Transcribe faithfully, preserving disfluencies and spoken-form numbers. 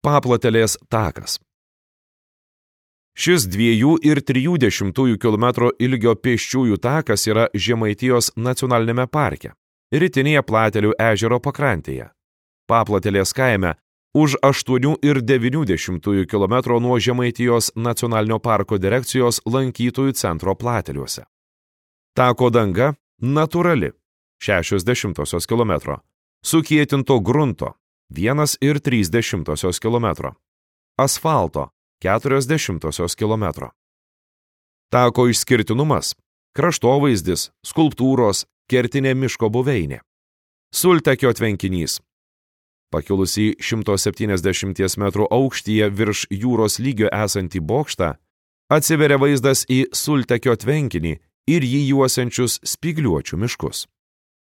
Paplatelės takas. Šis dviejų ir trijų dešimtųjų kilometro ilgio pėsčiųjų takas yra Žemaitijos nacionalinėme parke, rytinėje Platelių ežero pakrantėje. Paplatelės kaime už aštuonių ir devynių dešimtųjų kilometro nuo Žemaitijos nacionalinio parko direkcijos lankytojų centro Plateliuose. Tako danga natūrali šešios dešimtosios kilometro, sukietinto grunto vienas ir trys dešimtosios kilometro, asfalto keturios dešimtosios kilometro. Tako išskirtinumas – kraštovaizdis, skulptūros, kertinė miško buveinė. Sultekio tvenkinys. Pakilusį šimto septyniasdešimties metrų aukštyje virš jūros lygio esantį bokštą, atsiveria vaizdas į Sultekio tvenkinį ir jį juosiančius spygliuočių miškus.